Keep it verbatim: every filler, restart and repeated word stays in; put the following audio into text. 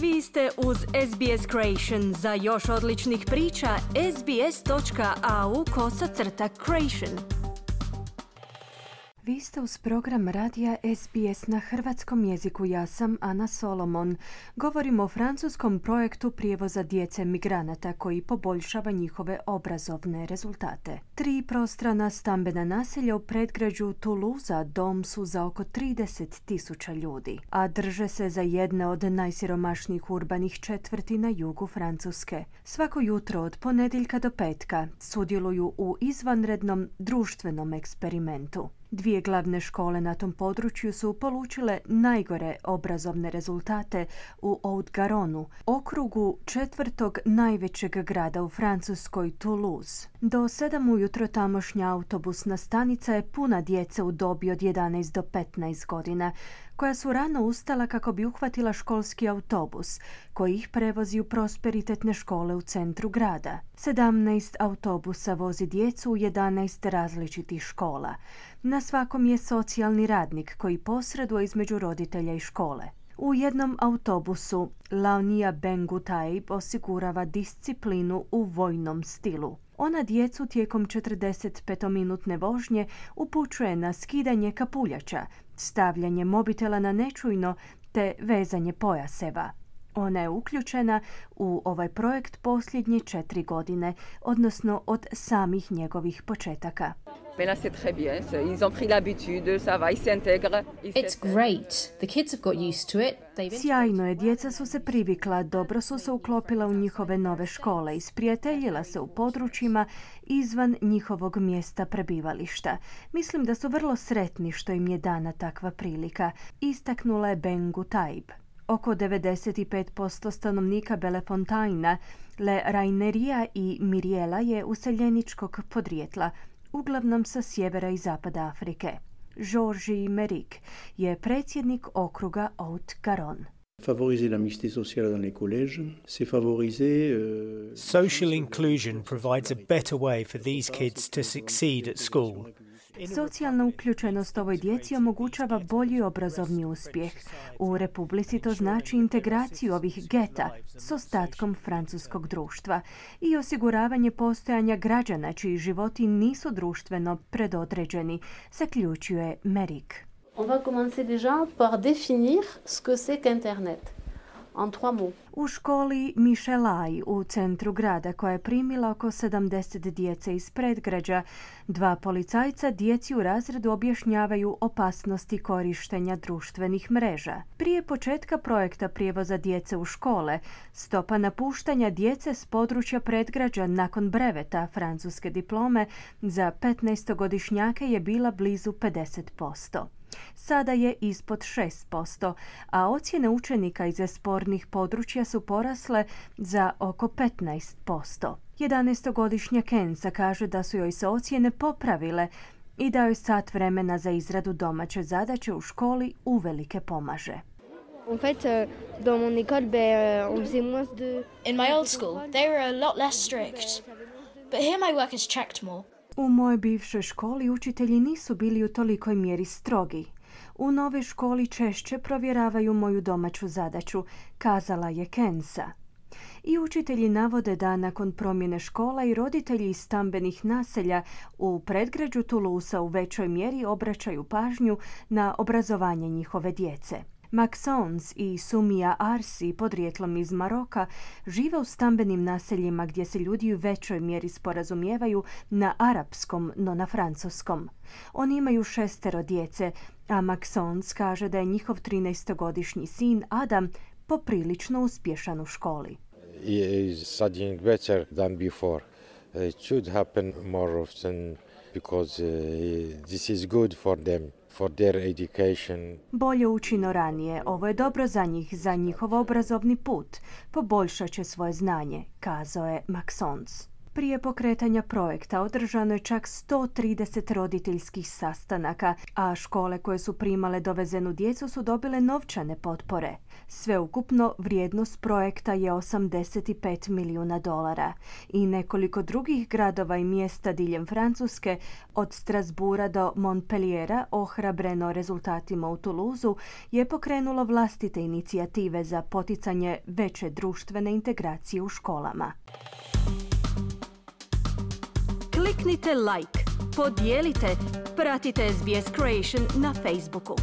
Vi ste uz S B S Creation. Za još odličnih priča, sbs.au kosacrta Creation. Vi ste uz program radija S B S na hrvatskom jeziku. Ja sam Ana Solomon. Govorimo o francuskom projektu prijevoza djece migranata koji poboljšava njihove obrazovne rezultate. Tri prostrana stambena naselja u predgrađu Toulouse dom su za oko trideset tisuća ljudi, a drže se za jedne od najsiromašnijih urbanih četvrti na jugu Francuske. Svako jutro od ponedjeljka do petka sudjeluju u izvanrednom društvenom eksperimentu. Dvije glavne škole na tom području su polučile najgore obrazovne rezultate u Haut-Garonu, okrugu četvrtog najvećeg grada u Francuskoj, Toulouse. Do sedam ujutro tamošnja autobusna stanica je puna djece u dobi od jedanaest do petnaest godina, koja su rano ustala kako bi uhvatila školski autobus, koji ih prevozi u prosperitetne škole u centru grada. sedamnaest autobusa vozi djecu u jedanaest različitih škola. Na svakom je socijalni radnik koji posreduje između roditelja i škole. U jednom autobusu Launia Bengutaib osigurava disciplinu u vojnom stilu. Ona djecu tijekom četrdesetpetominutne vožnje upućuje na skidanje kapuljača, stavljanje mobitela na nečujno te vezanje pojaseva. Ona je uključena u ovaj projekt posljednje četiri godine, odnosno od samih njegovih početaka. It's great. The kids have got used to it. Sjajno je, djeca su se privikla, dobro su se uklopila u njihove nove škole, isprijateljila se u područjima izvan njihovog mjesta prebivališta. Mislim da su vrlo sretni što im je dana takva prilika, istaknula je Bengutaib. Oko devedeset pet posto stanovnika Bellefontaina, Le Raineria i Miriela je useljeničkog podrijetla, uglavnom sa sjevera i zapada Afrike. Georges Meric je predsjednik okruga Haut-Garon. Favoriser la mixité sociale dans les collèges, c'est favoriser euh... Social inclusion provides a better way for these kids to succeed at school. Socijalna uključenost ovoj djeci omogućava bolji obrazovni uspjeh. U Republici to znači integraciju ovih geta s ostatkom francuskog društva i osiguravanje postojanja građana čiji životi nisu društveno predodređeni, zaključuje Meric. On va commencer déjà par définir ce que c'est qu'Internet. En trois mots. U školi Michelai u centru grada, koja je primila oko sedamdeset djece iz predgrađa, dva policajca djeci u razredu objašnjavaju opasnosti korištenja društvenih mreža. Prije početka projekta prijevoza djece u škole, stopa napuštanja djece s područja predgrađa nakon breveta francuske diplome za petnaestogodišnjake je bila blizu pedeset posto. Sada je ispod šest posto, a ocjene učenika iz spornih područja su porasle za oko petnaest posto. jedanaestogodišnja Kensa kaže da su joj se ocjene popravile i da joj sat vremena za izradu domaće zadaće u školi uvelike pomaže. En fait, dans mon école, ben, on faisait moins de... In my old school, they were a lot less strict. But here my work is checked more. U mojoj bivšoj školi učitelji nisu bili u tolikoj mjeri strogi. U novoj školi češće provjeravaju moju domaću zadaću, kazala je Kensa. I učitelji navode da nakon promjene škola i roditelji iz stambenih naselja u predgrađu Toulouse u većoj mjeri obraćaju pažnju na obrazovanje njihove djece. Maxence i Sumia Arsi, podrijetlom iz Maroka, žive u stambenim naseljima gdje se ljudi u većoj mjeri sporazumijevaju na arapskom, no na francuskom. Oni imaju šestero djece, a Maxence kaže da je njihov trinaestogodišnji sin Adam poprilično uspješan u školi. He is studying better than before. It should happen more often because uh, this is good for them. For their education. Bolje učino ranije. Ovo je dobro za njih, za njihov obrazovni put. Poboljšat će svoje znanje, kazao je Maxence. Prije pokretanja projekta održano je čak sto trideset roditeljskih sastanaka, a škole koje su primale dovezenu djecu su dobile novčane potpore. Sveukupno vrijednost projekta je osamdeset pet milijuna dolara i nekoliko drugih gradova i mjesta diljem Francuske, od Strasbourga do Montpelliera, ohrabreno rezultatima u Toulouseu, je pokrenulo vlastite inicijative za poticanje veće društvene integracije u školama. Kliknite like, podijelite, pratite S B S Creation na Facebooku.